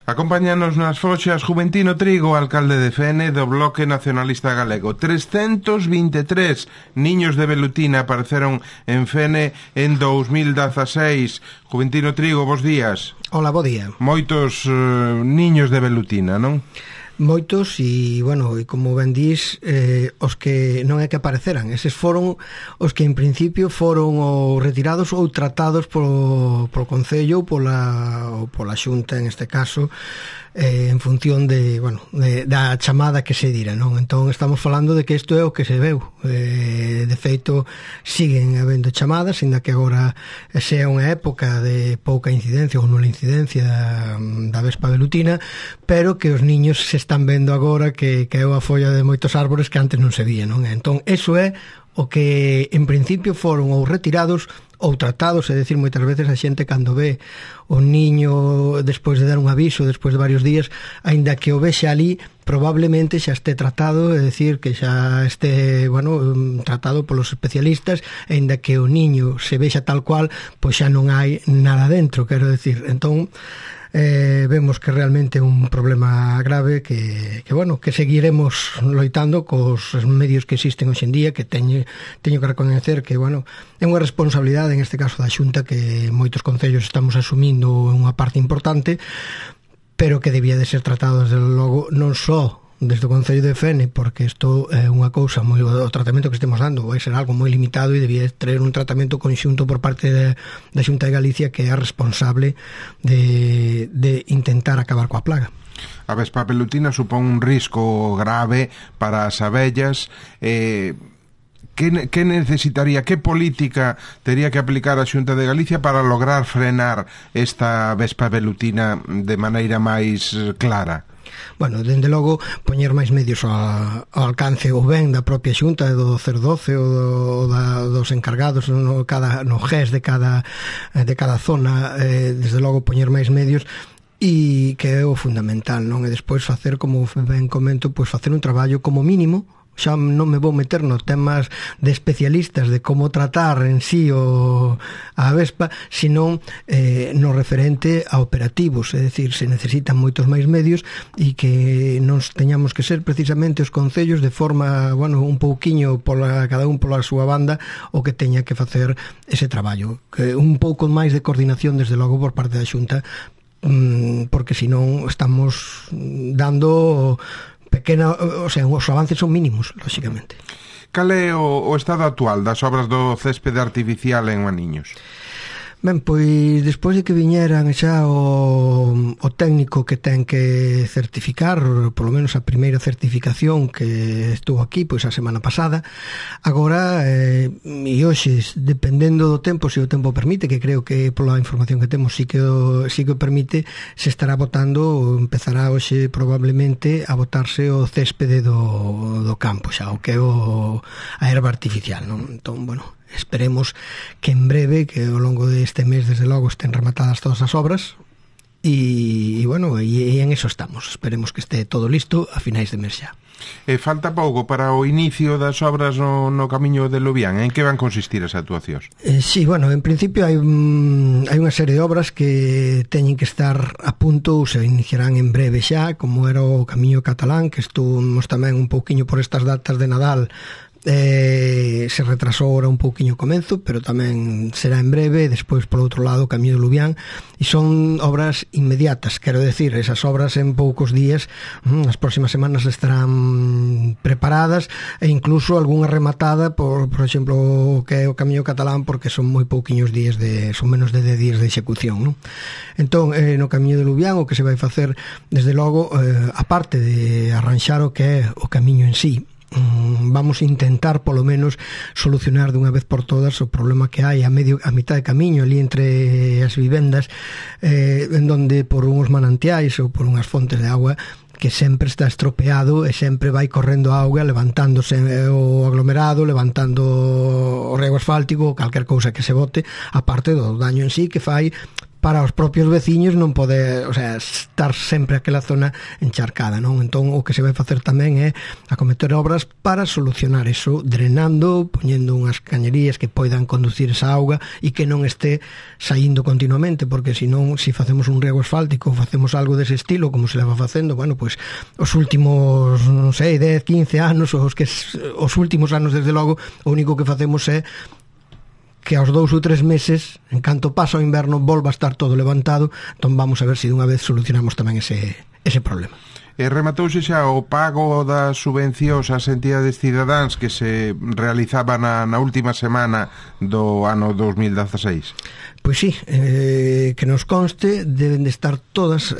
Acompáñanos nas foxas Juventino Trigo, alcalde de Fene do Bloque Nacionalista Galego. 323 niños de velutina apareceron en Fene en 2016. Juventino Trigo, bos días. Hola, bo día. Moitos niños de velutina, non? Moitos e, bueno, e como ben dís, os que non é que apareceran, eses foron os que en principio foron ou retirados ou tratados polo Concello ou pola Xunta, en este caso, en función de, bueno, da chamada que se dira, non? Entón estamos falando de que isto é o que se veu. De feito, siguen habendo chamadas, ainda que agora sea unha época de pouca incidencia ou nula incidencia da vespa velutina, pero que os niños se están vendo agora que é a folla de moitos árbores que antes non se vía, non? Entón, eso é o que en principio foron ou retirados ou tratados, é dicir, moitas veces a xente cando ve o niño despois de dar un aviso, despois de varios días, aínda que o vexe ali, probablemente xa este tratado, é dicir, que xa este, bueno, tratado polos especialistas, aínda que o niño se vexa tal cual, pois xa non hai nada dentro, quero dicir. Entón, vemos que realmente é un problema grave que bueno, que seguiremos loitando cos medios que existen hoxe en día, que teño que recoñecer que, bueno, é unha responsabilidade en este caso da Xunta que moitos concellos estamos asumindo unha parte importante, pero que debía de ser tratado desde logo non só desde o Concello de Fene, porque isto é unha cousa moi, o tratamento que estemos dando vai ser algo moi limitado e debía traer un tratamento conxunto por parte da Xunta de Galicia, que é a responsable de intentar acabar coa plaga. A vespa velutina supón un risco grave para as abellas. Que necesitaría, que política tería que aplicar a Xunta de Galicia para lograr frenar esta vespa velutina de maneira máis clara? Bueno, dende logo, poñer máis medios ao alcance ou ben da propia Xunta, do 012 ou dos encargados no GES de cada zona, desde logo poñer máis medios, e que é o fundamental, non? E despois facer, como ben comento, pois facer un traballo como mínimo. Xa non me vou meter nos temas de especialistas de como tratar en sí a vespa, senón no referente a operativos, é dicir, se necesitan moitos máis medios e que non teñamos que ser precisamente os concellos de forma, bueno, un pouquiño cada un pola súa banda o que teña que facer ese traballo, que un pouco máis de coordinación desde logo por parte da Xunta, porque senón estamos dando pequena, o sea, os avances son mínimos, lógicamente. Cal é o estado actual das obras do céspede artificial en Maniños? Ben, pois despois de que viñeran xa o técnico que ten que certificar, polo menos a primeira certificación que estuvo aquí pois a semana pasada, agora e hoxe, dependendo do tempo, se o tempo permite, que creo que pola información que temos sí que o permite, se estará botando, empezará hoxe probablemente a botarse o céspede do campo xa, o que é a erva artificial, non? Entón, bueno, esperemos que en breve, que ao longo deste mes desde logo estén rematadas todas as obras e bueno, e en eso estamos. Esperemos que este todo listo a finais de mes xa. Falta pouco para o inicio das obras no Camiño de Lubián. En que van consistir as actuacións? Sí, bueno, en principio hai unha serie de obras que teñen que estar a punto ou se iniciarán en breve xa, como era o Camiño Catalán, que estuvimos tamén un pouquiño por estas datas de Nadal. Se retrasou ahora un pouquiño o comenzo, pero tamén será en breve. Despois, por outro lado, o Camiño de Lubián, e son obras inmediatas, quero decir, esas obras en poucos días, as próximas semanas estarán preparadas, e incluso algunha rematada, por exemplo, o que é o Camiño Catalán, porque son moi pouquiños días, son menos de 10 días de execución, non? Entón, no Camiño de Lubián, o que se vai facer, desde logo, aparte de arranxar o que é o camiño en sí, vamos a intentar polo menos solucionar dunha vez por todas o problema que hai a mitad de camiño ali entre as vivendas, en donde por unhos manantiais ou por unhas fontes de agua que sempre está estropeado e sempre vai correndo a auga, levantándose o aglomerado, levantando o rego asfáltico ou calquer cousa que se bote, aparte do daño en sí que fai para os propios veciños non poder, o sea, estar sempre aquela zona encharcada, non? Entón o que se vai facer tamén é acometer obras para solucionar eso, drenando, poñendo unhas cañerías que poidan conducir esa auga e que non este saindo continuamente, porque senón, se facemos un riego asfáltico ou facemos algo dese estilo, como se leva facendo, bueno, pois os últimos, non sei, 10, 15 anos, os últimos anos desde logo, o único que facemos é que aos 2 ou 3 meses, en canto pasa o inverno, volva a estar todo levantado. Entón vamos a ver se dunha vez solucionamos tamén ese problema. Rematouse xa o pago das subvencións ás entidades cidadáns que se realizaba na última semana do ano 2016? Pois sí, que nos conste, deben de estar todas,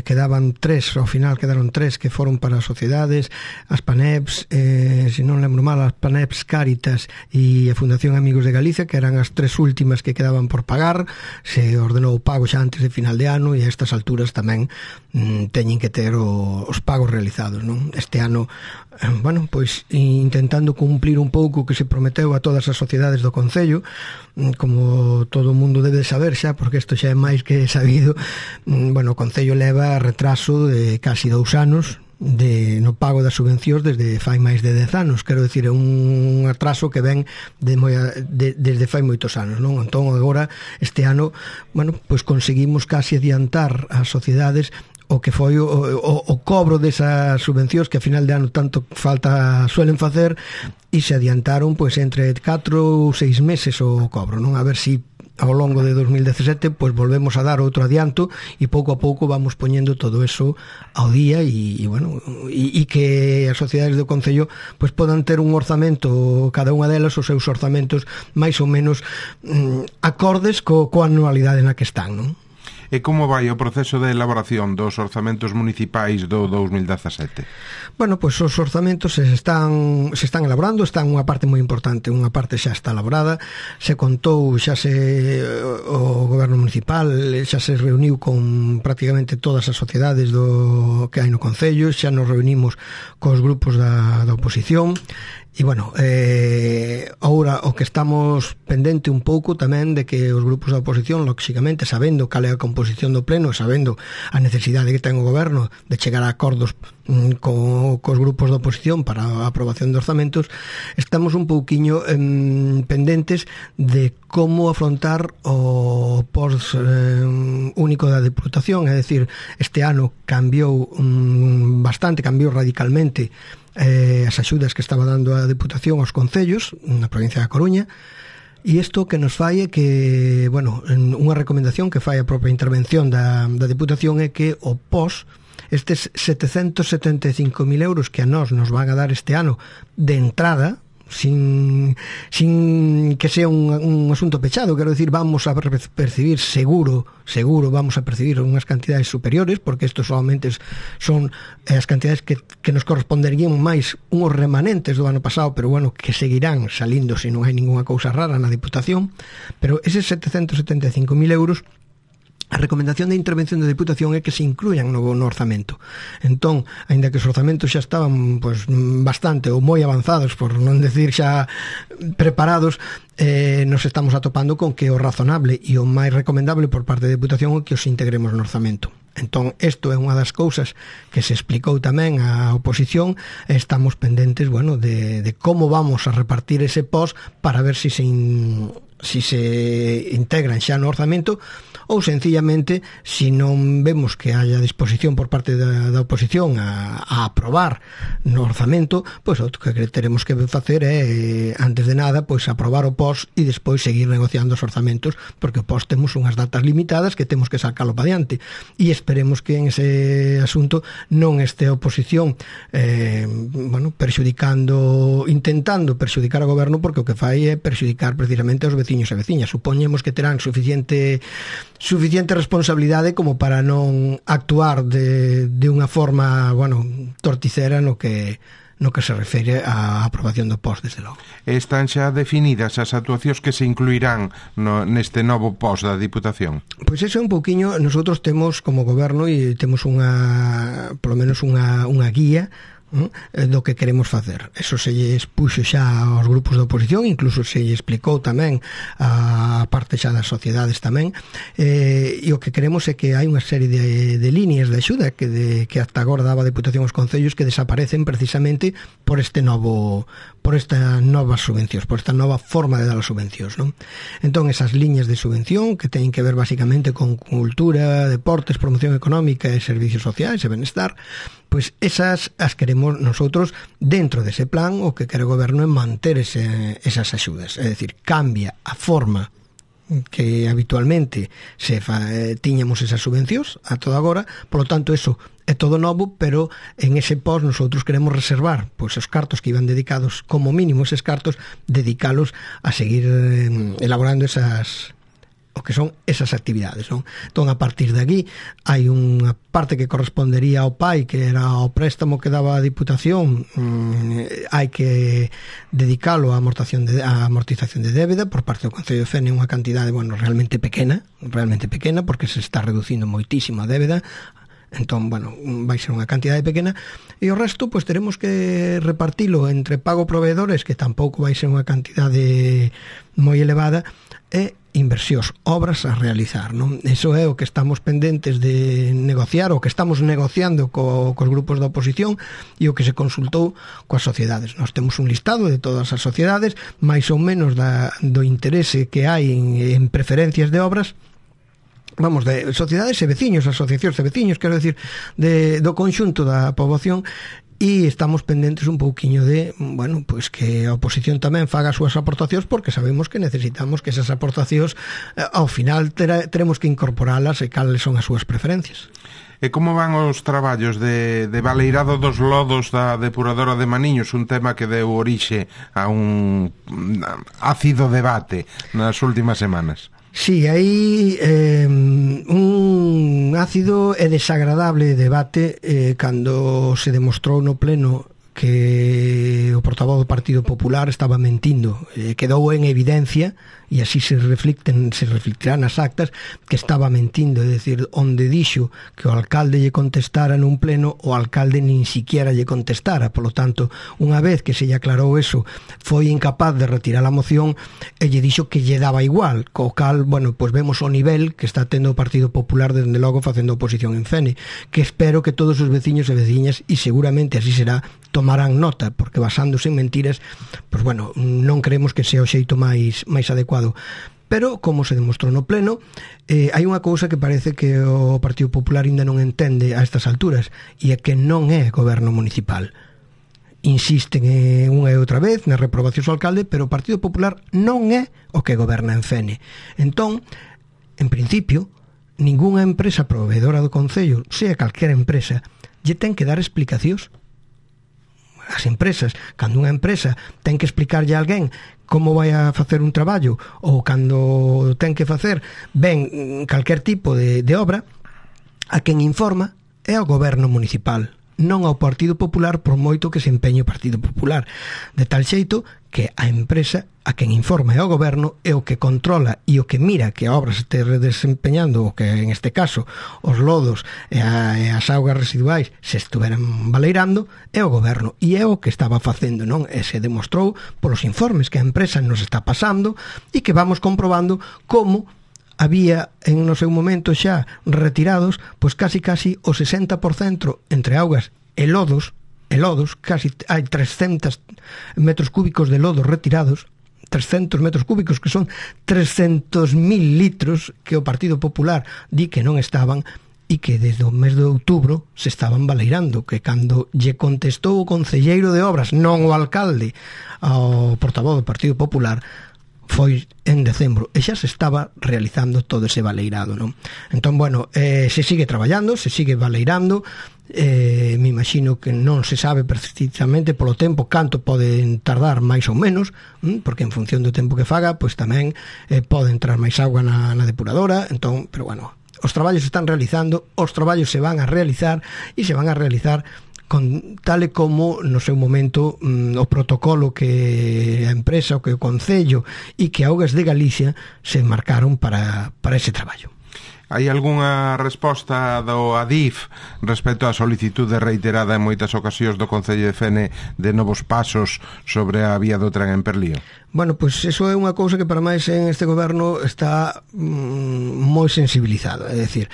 quedaban 3, ao final quedaron 3 que foron para as sociedades, as PANEPs, se non lembro mal, as PANEPs Cáritas e a Fundación Amigos de Galicia, que eran as 3 últimas que quedaban por pagar. Se ordenou o pago xa antes de final de ano e a estas alturas tamén teñen que ter os pagos realizados, non? Este ano, bueno, pois intentando cumplir un pouco o que se prometeu a todas as sociedades do Concello, como todo o mundo debe saber xa, porque isto xa é máis que sabido. Bueno, o Concello leva retraso de casi 2 anos no pago das subvencións desde fai máis de 10 anos, quero dicir, é un atraso que ven desde fai moitos anos, non? Entón agora, este ano, bueno, pois conseguimos casi adiantar as sociedades o que foi o cobro desas subvencións que a final de ano tanto falta suelen facer, e se adiantaron pois entre 4 ou 6 meses o cobro, non? A ver se ao longo de 2017 pois volvemos a dar outro adianto e pouco a pouco vamos poñendo todo eso ao día e bueno, e que as sociedades do Concello pois podan ter un orzamento, cada unha delas os seus orzamentos máis ou menos acordes coa anualidade na que están, non? E como vai o proceso de elaboración dos orzamentos municipais do 2017? Bueno, pois os orzamentos se están elaborando, están unha parte moi importante, unha parte xa está elaborada, se contou, xa o goberno municipal xa se reuniu con prácticamente todas as sociedades que hai no Concello, xa nos reunimos cos grupos da oposición. E, bueno, agora o que estamos pendente un pouco tamén de que os grupos da oposición, lóxicamente, sabendo cal é a composición do pleno, sabendo a necesidade que ten o goberno de chegar a acordos cos grupos da oposición para a aprobación de orzamentos, estamos un pouquiño pendentes de como afrontar o post único da Deputación, é dicir, este ano cambiou bastante, cambiou radicalmente as axudas que estaba dando a Deputación aos concellos na provincia da Coruña, e isto que nos fai é que, bueno, unha recomendación que fai a propia intervención da Deputación é que o POS, estes 775.000 euros que a nos van a dar este ano de entrada, sin que sea un asunto pechado, quero decir, vamos a percibir seguro vamos a percibir unhas cantidades superiores, porque isto solamente son as cantidades que nos corresponderían máis unhos remanentes do ano pasado, pero bueno, que seguirán salindo se non hai ninguna cousa rara na Deputación. Pero eses 775.000 euros, a recomendación de intervención da Deputación é que se incluyan no orzamento. Entón, aínda que os orzamentos xa estaban pois bastante ou moi avanzados, por non decir xa preparados, nos estamos atopando con que o razonable e o máis recomendable por parte da Deputación é que os integremos no orzamento. Entón, isto é unha das cousas que se explicou tamén á oposición, e estamos pendentes, bueno, de como vamos a repartir ese POS para ver se integran xa no orzamento, ou sencillamente, se non vemos que haya disposición por parte da oposición a aprobar no orzamento, pois o que teremos que facer é, antes de nada, pois aprobar o POS e despois seguir negociando os orzamentos, porque o POS temos unhas datas limitadas que temos que sacalo para diante, e esperemos que en ese asunto non este a oposición bueno, intentando perxudicar ao goberno, porque o que fai é perxudicar precisamente aos veciños e veciñas. Supoñemos que terán suficiente responsabilidade como para non actuar de unha forma, bueno, torticera no que se refere á aprobación do POS, desde logo. Están xa definidas as actuacións que se incluirán neste novo POS da Diputación? Pois eso é un pouquiño, nosotros temos como goberno e temos polo menos unha guía do que queremos facer. Eso se lle expuxo xa aos grupos de oposición, incluso se lle explicou tamén a parte xa das sociedades tamén, e o que queremos é que hai unha serie de líneas de axuda que hasta agora daba a Deputación aos concellos que desaparecen precisamente por estas novas subvencións, por esta nova forma de dar as subvencións, non? Entón, esas liñas de subvención que teñen que ver basicamente con cultura, deportes, promoción económica e servicios sociais e benestar, pois esas as queremos nosotros dentro dese plan. O que quere o goberno é manter esas axudas, é dicir, cambia a forma que habitualmente tiñamos esas subvencións a todo agora, polo tanto eso é todo novo, pero en ese pos nosotros queremos reservar pois os cartos que iban dedicados, como mínimo eses cartos, dedicalos a seguir elaborando o que son esas actividades, non? Entón, a partir de aquí hai unha parte que correspondería ao PAI, que era o préstamo que daba a Diputación, hai que dedicalo á amortización de débeda por parte do Concello de Fene, unha cantidade, realmente pequena, porque se está reducindo moitísimo a débeda. Entón, vai ser unha cantidade pequena, e o resto, pois teremos que repartilo entre pago proveedores, que tampouco vai ser unha cantidade moi elevada, e inversións, obras a realizar, non? Eso é o que estamos pendentes de negociar, o que estamos negociando cos grupos da oposición e o que se consultou coas sociedades. Nós temos un listado de todas as sociedades, máis ou menos do interese que hai en preferencias de obras, de sociedades e veciños, asociacións de veciños, quero decir, do conxunto da poboación, e estamos pendentes un pouquiño de, pois que a oposición tamén faga as súas aportacións, porque sabemos que necesitamos que esas aportacións ao final teremos que incorporalas e cales son as súas preferencias. E como van os traballos de baleirado dos lodos da depuradora de Maniños, un tema que deu orixe a un ácido debate nas últimas semanas? Sí, hai un ácido e desagradable debate cando se demostrou no pleno que o portavoz do Partido Popular estaba mentindo. Quedou en evidencia, e así se reflectirá nas actas, que estaba mentindo, é dicir, onde dixo que o alcalde lle contestara nun pleno, o alcalde nin siquiera lle contestara. Polo tanto, unha vez que se lle aclarou eso, foi incapaz de retirar a moción e lle dixo que lle daba igual, co cal, pois vemos o nivel que está tendo o Partido Popular dende logo facendo oposición en Fene, que espero que todos os veciños e veciñas, e seguramente así será, tomarán nota, porque basándose en mentiras, pois non creemos que sea o xeito máis adecuado. Pero, como se demostrou no pleno, hai unha cousa que parece que o Partido Popular ainda non entende a estas alturas, e é que non é goberno municipal. Insisten unha e outra vez na reprobación ao alcalde, pero o Partido Popular non é o que goberna en Fene. Entón, en principio, ningunha empresa proveedora do Concello, sea calquera empresa, lle ten que dar explicacións. As empresas, cando unha empresa ten que explicarlle a alguén como vai a facer un traballo, ou cando ten que facer calquer tipo de obra, a quen informa é o goberno municipal, non ao Partido Popular, por moito que se empeñe o Partido Popular, de tal xeito que a empresa a quen informa é o goberno, e o que controla e o que mira que a obra se este desempeñando, o que en este caso os lodos e as augas residuais se estuveran baleirando, é o goberno, e é o que estaba facendo, non? E se demostrou polos informes que a empresa nos está pasando, e que vamos comprobando como había en no seu momento xa retirados pois casi o 60% entre augas e lodos, casi hai 300 metros cúbicos de lodos retirados, 300 metros cúbicos, que son 300.000 litros que o Partido Popular di que non estaban, e que desde o mes de outubro se estaban baleirando, que cando lle contestou o concelleiro de obras, non o alcalde, ao portavoz do Partido Popular, foi en decembro, e xa se estaba realizando todo ese baleirado, non? Entón, se sigue traballando, se sigue baleirando, me imagino que non se sabe precisamente polo tempo canto poden tardar máis ou menos, porque en función do tempo que faga, pois tamén pode entrar máis auga na depuradora. Entón, pero os traballos se están realizando, os traballos se van a realizar, e se van a realizar tal e como no seu momento o protocolo que a empresa, o que o Concello e que Augas de Galicia se marcaron para ese traballo. Hai algunha resposta do ADIF respecto á solicitude reiterada en moitas ocasións do Concello de Fene de novos pasos sobre a vía do tren en Perlío? Bueno, pois eso é unha cousa que para máis en este goberno está moi sensibilizado, é dicir,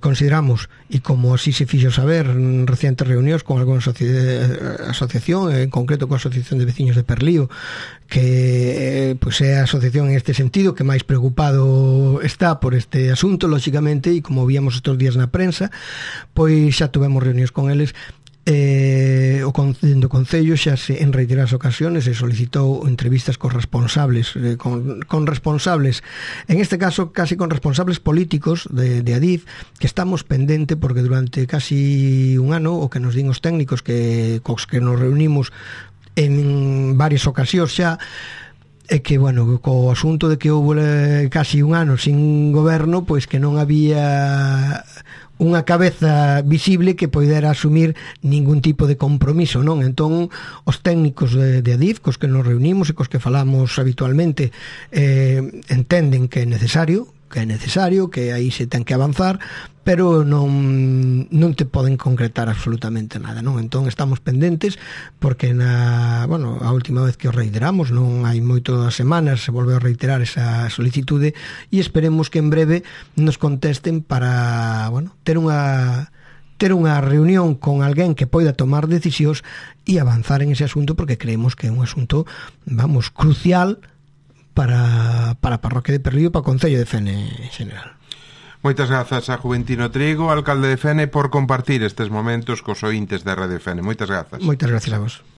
consideramos, e como así se fixo saber en recientes reunións con algunha asociación, en concreto coa Asociación de Veciños de Perlío, que pois é a asociación en este sentido que máis preocupado está por este asunto, lóxicamente, e como víamos estes días na prensa, pois xa tuvemos reunións con eles. O Concello xa en reiteradas ocasións se solicitou entrevistas con responsables con responsables, en este caso casi con responsables políticos de ADIF, que estamos pendente porque durante casi un ano o que nos din os técnicos cos que nos reunimos en varias ocasións xa, é que, bueno, co asunto de que houve casi un ano sin goberno, pois que non había unha cabeza visible que poidera asumir ningún tipo de compromiso, non? Entón, os técnicos de ADIF, cos que nos reunimos e cos que falamos habitualmente, entenden que é necesario, que aí se ten que avanzar, pero non te poden concretar absolutamente nada, non? Entón estamos pendentes porque a última vez que os reiteramos, non hai moitas semanas, se volveu a reiterar esa solicitude e esperemos que en breve nos contesten para, ter unha reunión con alguén que poida tomar decisións e avanzar en ese asunto, porque creemos que é un asunto, crucial para a parroquia de Perlío e para o Concello de Fene en general. Moitas grazas a Juventino Trigo, alcalde de Fene, por compartir estes momentos cos ointes de Radio Fene. Moitas grazas. Moitas grazas a vos.